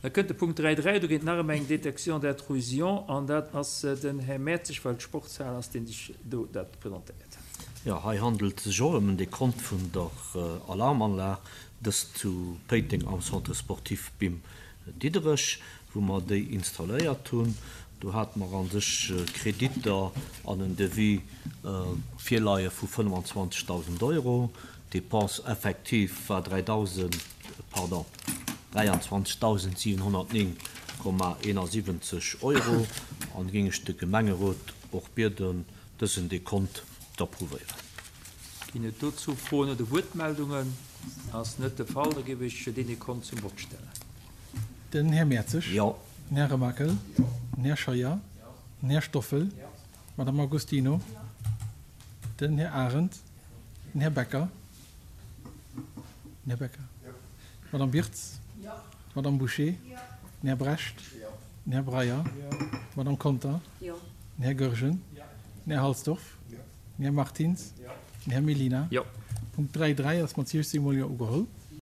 Da kënnt de Punkt 3.3, do geet et nach ëm eng Détection d'intrusion an dat ass den Här Mertzig, well d'Sportshal ass, deen sech do dat presentéiert. Jo, hei handelt et sech och ëm en Dekont vun der Alarmanlag, dëst zu Péiteng am Centre sportif Bim Diderech, wou mer déi installéiert hunn. Do hate mer a sech Kreditter an en Devis virleie vu 25.000 Euro. D'Dépense effective war 3.000, pardon, 23.709,71 Euro an géing ech de Gemengerot och bieden, dësen Dekont d'approuvéieren. Ginn et dozou Froen oder Wuertmeldungen? Ass net de Fall, da géif ech deen Dekont zum Vott stellen. Den Här Mertzig. Jo. Den Här Remakel. Den Här Scheuer. Den Här Stoffel. D'Madame Agostino. Den Här Arendt. Den Här Becker. Den Här Becker. D'Madame Birtz. D'Madame Bouché. Den Här Brecht. Den Här Breyer. D'Madame Conter. Den Här Goergen. Den Här Halsdorf. Den Här Martins. Den Här Mellina. Punkt 3, 3 ass mat 16 mol Jo ugeholl.